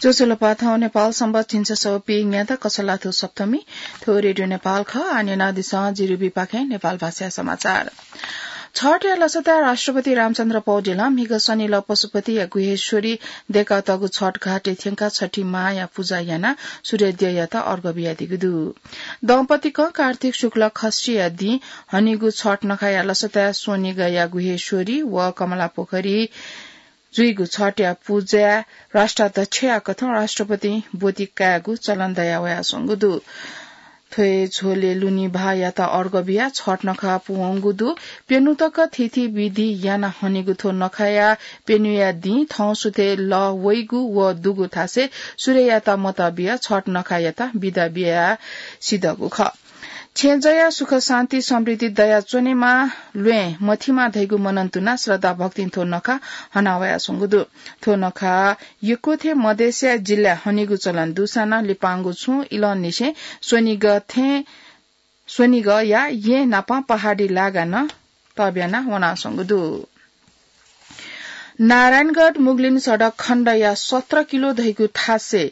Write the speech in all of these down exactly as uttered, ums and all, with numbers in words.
ज्वजलपा, थौं नेपाल संवत् झिंछसः व पीन्यादँ कछलाथ्व सप्तमी। थ्व रेडियो नेपाल खः। आः न्यनादिसँ जिरुबीपाखें नेपाल भाषाया समाचार। छठया लसताय् राष्ट्रपति रामचन्द्र पौडेलं म्हिगः शनिलः पशुपतिया गुह्येश्वरी दय्कातःगु छठ घाटय् थ्यंकाः छठी मांया पुजा यानाः सूर्यद्यःयात अर्घ बियादीगु दु। दम्पतिकं कार्तिक शुक्ल खष्ठीया दिं हनीगु छठ नखाया लसताय् स्वनिगःया गुह्येश्वरी व कमलापोखरी जुइगु छठया पुजाय् राष्ट्राध्यक्षया कथं राष्ट्रपतिं ब्वति कायेगु चलन दयावयाच्वंगु दु। थ्व हे झ्वलय् लुनि भाःयात अर्घ बियाः छठ नखः पूवंगु दु। प्यन्हु तक थीथी विधि यानाः हनीगु थ्व नखःया प्यन्हुया दिं थौंसुथय् लः वइगु व दुगु थासय् सूर्ययात मत बियाः छठ नखायात बिदा बियाः सिधःगु खः। छेँजःया सुख शान्ति समृद्धि दयाच्वनेमा, ल्वय् मथिमा धइगु मनंतुनाः श्रद्धा भक्तिं थ्व नखः हनावयाच्वंगु दु। थ्व नखः यक्व थें मधेसया जिल्लाय् हनीगु चलन दुसां नं लिपांगु छुं इलंनिसें स्वनिगः थें, स्वनिगःया येँ नापं पहाडी लागा नं तब्याना वनाच्वंगु दु। नारायणगढ मुगलिन सडक खण्डया सत्र किलो धइगु थासय्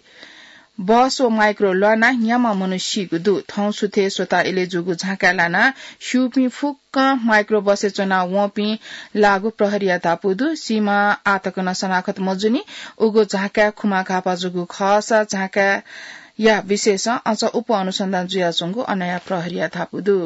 बस व माइक्रो ल्वानाः न्याम्ह मनू सीगु दु। थौंसुथय् स्वता इलय् जूगु झाँकाय् लानाः स्यूपिं फुक्कं माइक्रो बसय् च्वना वंपिं लाःगु प्रहरीया धापू दु। सीम्ह आःतक नं सनाखत मजूनि। उगु झाँकाय् खुमा घाःपाः जूगु खःसा झाँकाया विषयसं अझ उप अनुसन्धान जुयाच्वंगु अनया प्रहरीया धापू दु।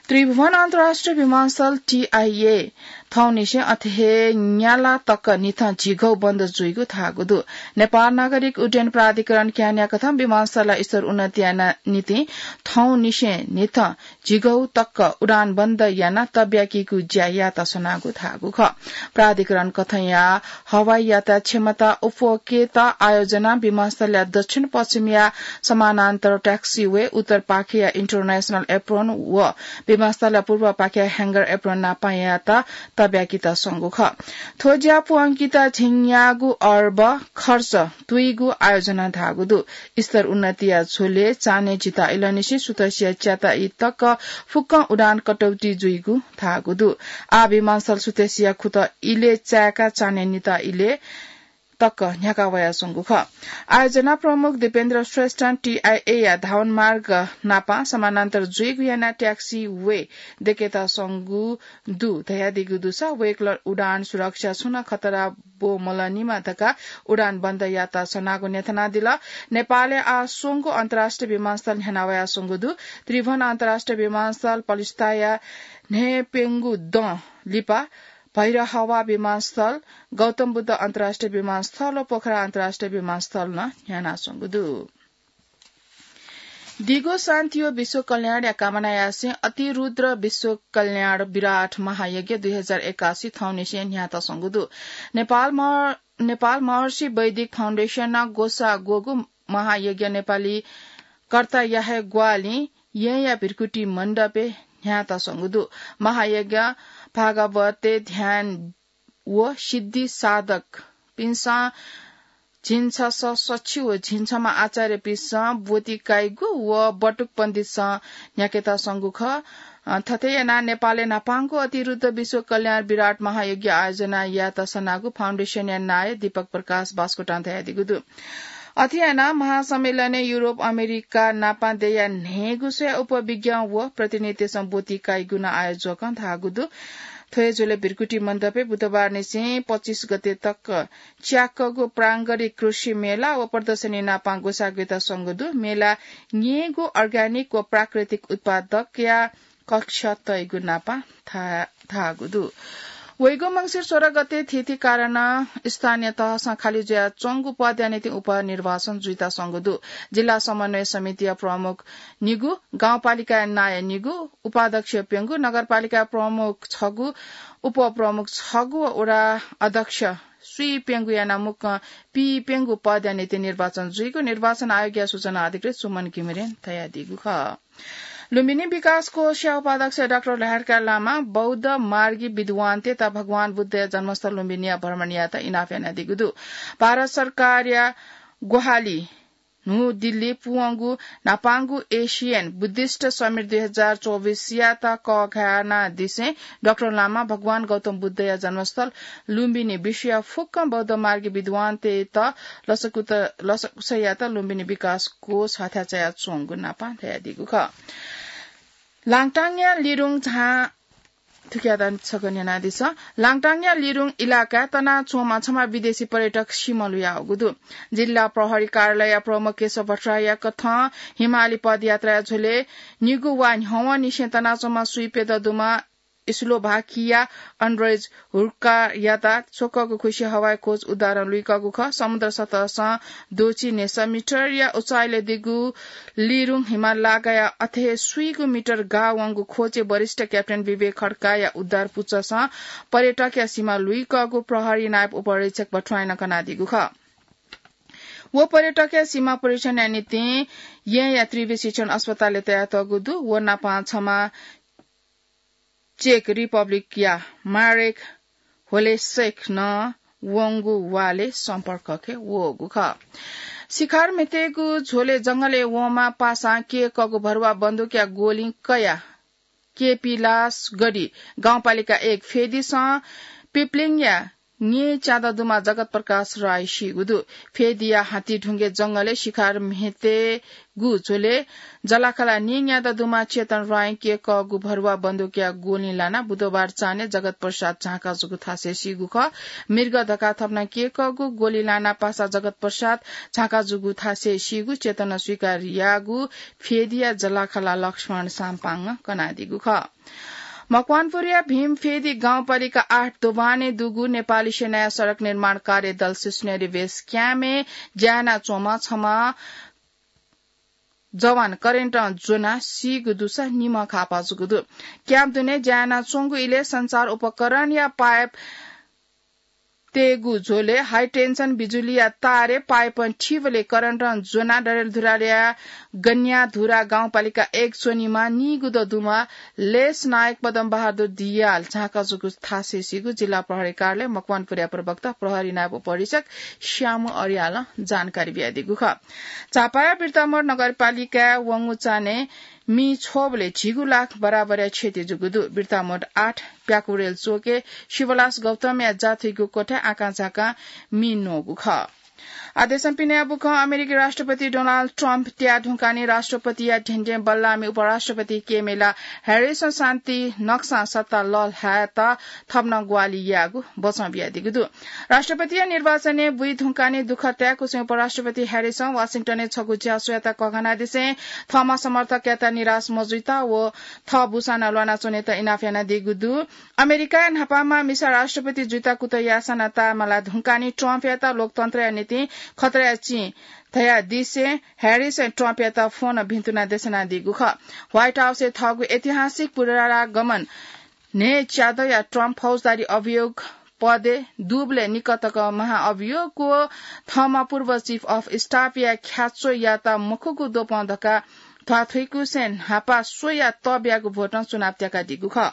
त्रिभुवन अन्तर्राष्ट्रिय विमानस्थल, टीआईए, थौंनिसें अथे हे न्याला तक निथं झिघौ बन्द जुइगु धाःगु दु। नेपाल नागरिक उड्डयन प्राधिकरण क्यानाया कथं विमानस्थलया स्तर उन्नति याना निंतिं थौंनिसें निथं झिघौ तक उडान बन्द यानाः तब्याकीगु ज्या यायेत सनागु धाःगु खः। प्राधिकरण कथंया हवाई यातायात क्षमता उप्वकेत आयोजना विमानस्थलया दक्षिण पश्चिमया समानान्तर taxiway, उत्तर पाखेया international apron व विमानस्थलया पूर्व पाखेया hangar apron नापं यायेत तब्याकीत संगु खः। थ्व ज्या पूवंकेत झिंन्यागू अर्ब खर्च तुइगु आयोजना धाःगु दु। स्तर उन्नतिया झ्वलय् चान्हय् झिता इलंनिसें सुथसिया च्याता ई तक फुक्कं उडान कटौती जुइगु धाःगु दु। आः विमानस्थल सुथसिया खुत इलय् चाय्काः चान्हय् निता इलय् तक न्ह्याका वयाच्वंगु खः। आयोजना प्रमुख दीपेन्द्र श्रेष्ठं टीआईएया धावनमार्ग नापं समानान्तर जुइगु यानाः taxiway दय्केत संगु दु धयादीगु दुसा वय्कलं उडान सुरक्षा छुं नं खतरा ब्वमलनिमा धकाः उडान बन्द यायेत सनागु न्ह्यथनादिल। नेपालय् आः स्वंगू अन्तर्राष्ट्रिय विमानस्थल न्ह्याना वयाच्वंगु दु। त्रिभुवन अन्तर्राष्ट्रिय विमानस्थल पलिस्ताया न्हय्प्यंगू दँ लिपा भैरहवा विमानस्थल, गौतम बुद्ध अन्तर्राष्ट्रिय विमानस्थल व पोखरा अन्तर्राष्ट्रिय विमानस्थल नं न्ह्यानाच्वंगु दु। दिगो शान्ति व विश्व कल्याणया कामना यासें अतिरुद्र विश्व कल्याण विराट महायज्ञ दुई हजार एकासी थौंनिसें न्ह्यातःसंगु दु। नेपाल मह-, नेपाल महर्षि वैदिक फाउन्डेसनं ग्वसाः ग्वःगु महायज्ञ नेपाली कर्ताया हे ग्वाहालिं येँया भिरकुटी मण्डपय् न्ह्यातःसंगु दु। महायज्ञ भागवतय् ध्यान व सिद्धि साधकपिन्सं झिंछसः सछि व झिंछम्ह आचार्यपिन्सं ब्वति काइगु व बटुक पण्डितसं न्ह्याकेत संगु खः। अ, थथे यानाः नेपालय् न्हापांगु अतिरुद्ध विश्व कल्याण विराट महायज्ञ आयोजना यायेत सनागु फाउन्डेसनया नायः दीपक प्रकाश बास्कोटां धयादीगु दु। अथे यानाः महासम्मेलनय् युरोप, अमेरिका नापं देय्या न्हय्गू स्वया उपविज्ञ व प्रतिनिधितय्सं ब्वति काइगु नं आयोजकं धाःगु दु। थ्व हे झ्वलय् भिरकुटी मण्डपय् बुधबारनिसें पच्चिस गते तक च्याकःगु प्रांगणिक कृषि मेला व प्रदर्शनी नापं ग्वसाः ग्वयेत संगु दु। मेला न्यय्गू अर्ग्यानिक व प्राकृतिक उत्पादकया कक्ष तइगु नापं धा-, धाःगु दु। वइगु मंसिर सोह्र गते थीथी कारणं स्थानीय तहसं खाली जुयाच्वंगु पदया निंतिं उपनिर्वाचन जुइत संगु दु। जिल्ला समन्वय समितिया प्रमुख निगू, गाउँपालिकाया नायः निगू, उपाध्यक्ष प्यंगू, नगरपालिका प्रमुख छगू, उपप्रमुख छगू व वडा अध्यक्ष स्वीप्यंगू यानाः मुक्कं पीप्यंगू पदया निंतिं निर्वाचन जुइगु निर्वाचन आयोगया सूचना अधिकृत सुमन घिमिरें धयादीगु खः। लुम्बिनी विकास कोषया उपाध्यक्ष डाक्टर लहरका लामा बौद्ध मार्गी विद्वान तथा भगवान बुद्धया जन्मस्थल लुम्बिनीया भ्रमण यायेत इनाप यानादीगु दु। भारत सरकारया ग्वाहालि न्हू दिल्ली पुवंगु न्हापांगु एसियन बुद्धिस्ट समिट दुई हजार चौबिसयात कःघानादिसें डाक्टर लामा भगवान गौतम बुद्धया जन्मस्थल लुम्बिनी विश्वया फुक्क बौद्ध मार्गी विद्वानतय्त लसकुत-, लसकुसयात लुम्बिनी विकास कोष हथाय् चायाच्वंगु नापं धयादीगु खः। लाङटाङया लिरुङ झाँ थुकियात छकः न्यनादिसँ। लाङटाङया लिरुङ इलाकाय् तनाच्वंम्ह छम्ह विदेशी पर्यटक सिमा लुयावःगु दु। जिल्ला प्रहरी कार्यालय प्रमुख केशव भट्टराईया कथं हिमाली पदयात्राया झ्वलय् निगू वा न्ह्यवंनिसें तनाच्वंम्ह स्वीप्यदँ दुम्ह स्लोभाकिया अन्ड्रेज हुर्कायात स्वकःगु खुसि हवाई खोज उद्धारं लुइकःगु खः। समुद्र सतहसं द्वःछि न्हय्सः मिटरया उचाइलय् दीगु लिरुङ हिमाल लागाया अथे स्वीगू मिटर गाः वंगु खोजय् वरिष्ठ क्याप्टेन विवेक खड्काया उद्धार पुचःसं पर्यटकया सिमा लुइकःगु प्रहरी नायब उपरीक्षक भट्टराईं कनादीगु खः। व पर्यटकया सिमा परीक्षणया निंतिं येँया त्रिवि शिक्षण अस्पतालय् तयातःगु दु। व नापं छम्ह चेक रिपब्लिकया मारेक होलेसेक नं वंगु वालय् सम्पर्कय् वःगु खः। शिकार म्हितेगु झ्वलय् जंगलय् वंम्ह पासां क्यय्कःगु भरुवा बन्दुकया गोलिं कयाः केपीलासगढी गाउँपालिका एक फेदिसं पिप्लिङया न्येच्यादँ दुम्ह जगत प्रकाश राई सीगु दु। फेदिया हातिढुङ्गे जंगलय् शिकार म्हितेगु झ्वलय् जलाखाला न्येच्यादँ दुम्ह चेतन राईं क्यय्कःगु भरुवा बन्दुकया गोलिं लानाः बुधबार चान्हय् जगत प्रसाद झाँका जूगु थासय् सीगु खः। मृग धकाः थप नं क्यय्कःगु गोलिं लानाः पासा जगत प्रसाद झाँका जूगु थासय् सीगु चेतनं स्वीकार याःगु फेदिया जलाखाला लक्ष्मण साम्पाङं कनादीगु खः। मकवानपुरया भीमफेदी गाउँपालिका आठ दोभानय् दुगु नेपाली सेनाया सडक निर्माण कार्य दल सुसुनेरी बेस क्याम्पय् ज्या यानाच्वंम्ह छम्ह जवान करेन्टं ज्वनाः सीगु दुसा निम्ह घाःपाः जूगु दु। क्याम्प दुने ज्या यानाच्वंगु इलय् सञ्चार उपकरणया पाइप तयेगु झ्वलय् हाई टेन्सन बिजुलीया तारय् पाइपं थीबलय् करेन्टं ज्वनाः डडेलधुराया गन्याधुरा गाउँपालिका एक च्वनीम्ह नीगुदँ दुम्ह लेस नायक पदम बहादुर दियाल झाँका जूगु थासय् सीगु जिल्ला प्रहरी कार्यालय मकवानपुरया प्रवक्ता प्रहरी नायब उपरीक्षक श्यामु अर्यालं जानकारी बियादीगु खः। झापाया बिर्तामोड नगरपालिकाय् वंगु चान्हय् मि छ्वबलय् झिगू लाख बराबरया क्षति जूगु दु। बिर्तामोड आठ प्याकुरेल चोकय् शिवलास गौतमया जाथुइगु क्वथाय् आकाझाकां मि न्वःगु खः। आदेशं पिने बुखं अमेरिकी राष्ट्रपति डोनाल्ड ट्रम्प त्याये धुंकाः नि राष्ट्रपतिया ध्येंध्यें बल्लाःमि उपराष्ट्रपति केमेला ह्यारिसं शान्ति नक्सां सत्ता लःल्हायेत थप नं ग्वाहालि यायेगु बचं बियादीगु दु। राष्ट्रपतिया निर्वाचनय् बुइ धुंकाः नि दुःख ताय्कुसें उपराष्ट्रपति ह्यारिसं वाशिंटनय् छगू ज्यासुयात कःघानादिसें थःम्हं समर्थकयात निराश मजुइत व थः बुसां नं ल्वानाच्वनेत इनाप यानादीगु दु। अमेरिकाया न्हापांम्ह मिसा राष्ट्रपति जुइत कुतः याःसां नं ताय्माला धुंकाः नि ट्रम्पयात लोकतन्त्रया निंतिं खतराया चिं धयादिसें ह्यारिसं ट्रम्पयात फोनं भिन्तुना देछानादीगु खः। व्हाइट हाउसय् थःगु ऐतिहासिक पुनरागमन न्हय्च्यादँया ट्रम्प फौजदारी अभियोग पदय् दुबलय् निकतक महाअभियोग व थःम्हं पूर्व Chief of Staff या ख्याच्वःयात मखुगु द्वपं धकाः ध्वाथुइकुसें न्हापा स्वया तःब्यागु भोटं चुनाव त्याकादीगु खः।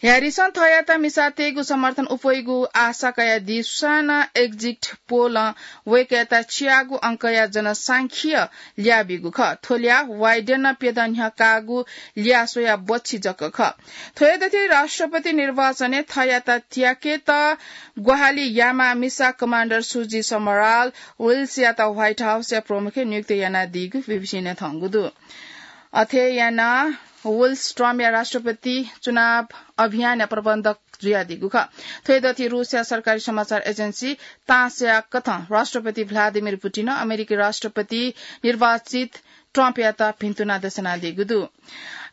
ह्यारिसं थःयात मिसातय्गु समर्थन उप्वइगु आशा कयादीसां नं एक्जिट पोलं वय्कःयात च्यागू अंकया जनसांख्यिकीय ल्याः बीगु खः। थ्व ल्याः वाइडेनं प्यदँ न्ह्यः काःगु ल्याः स्वयाः बच्छि जक खः। थ्व हे दथि राष्ट्रपति निर्वाचनय् थःयात त्याकेत ग्वाहालि याःम्ह मिसा कमान्डर सुजी समराल विल्सयात व्हाइट हाउसया प्रमुखय् नियुक्त यानादीगु बीबीसीं न्यनातःगु दु। अथे यानाः विल्स ट्रम्पया राष्ट्रपति चुनाव अभियानया प्रबन्धक जुयादीगु खः। थ्व हे दथि रूसया सरकारी समाचार एजेन्सी तासया कथं राष्ट्रपति भ्लादिमिर पुटिनं अमेरिकी राष्ट्रपति निर्वाचित ट्रम्पयात भिन्तुना देछानादीगु दु।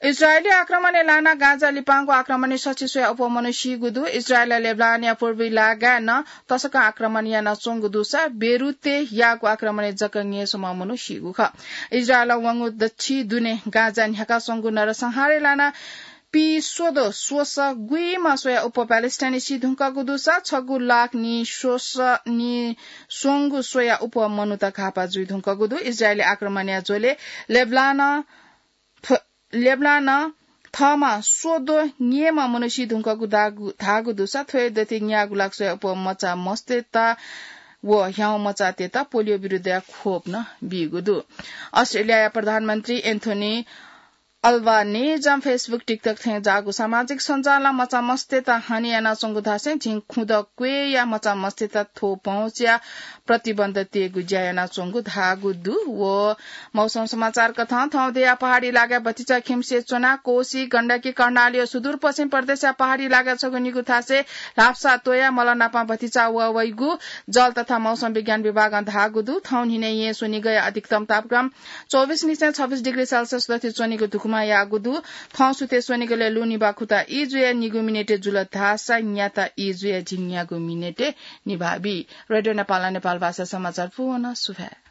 इजरायली आक्रमणय् लानाः गाजा लिपांगु आक्रमणय् सछि स्वयाः अप्वः मनू सीगु दु। इजरायलं लेबनानया पूर्वी लागाय् नं तसकं आक्रमण यानाच्वंगु दुसा बेरुतय् याःगु आक्रमणय् जक न्यय्स्वम्ह मनू सीगु खः। इजरायलं वंगु दच्छि दुने गाजा न्ह्याकाच्वंगु नरसंहारय् लानाः पीस्वदँ स्वसः गुइम्ह स्वयाः अप्वः प्यालेस्टाइनी सी धुंकूगु दुसा छगू लाख निस्वसः निस्वंगू स्वयाः अप्वः मनूत घाःपाः जुइ धुंकूगु दु। इजरायली आक्रमणया झ्वलय् लेबनानं थ्व-, लेबनानं थःम्हं स्वदँ न्यय्म्ह मनू सी धुंकूगु धाःगु, धाःगु दुसा थ्व हे दथि न्यागू लाख स्वयाः अप्वः मचा मस्तय्त व ह्याउँ मचातय्त पोलियो विरुद्धया खोप नं बीगु दु। अस्ट्रेलियाया प्रधानमन्त्री एन्थोनी अल्बानेजं Facebook, TikTok थें जाःगु सामाजिक सञ्जालं मचामस्तय्त हानि यानाच्वंगु धासें झिंखुदँ क्वय्या मचामस्तय्त थ्व पहुँचया प्रतिबन्ध तयेगु ज्या यानाच्वंगु धाःगु दु। व मौसम समाचार कथं थौं देया पहाडी लागाय् भतिचा खिम्से च्वना कोशी, गण्डकी, कर्णाली व सुदूरपश्चिम प्रदेशया पहाडी लागाय् छगू निगू थासय् ल्हापसा त्वया मलनापं भतिचा वःवइगु जल तथा मौसम विज्ञान विभागं धाःगु दु। थौं न्हिनय् येँ स्वनिगःया अधिकतम तापक्रम चौबिस निसें छब्बिस डिग्री सेल्सियस दथि च्वनीगु धुकुमा याःगु दु। थौं सुथय् स्वनिगलय् लु निभाखुता ई जुया निगू मिनेटय् जुल धाःसा न्याता ई जुया झिंन्यागू मिनेटय् निभाः बी। रेडियो नेपालं नेपाल भाषा समाचार पूवन सुभाय्।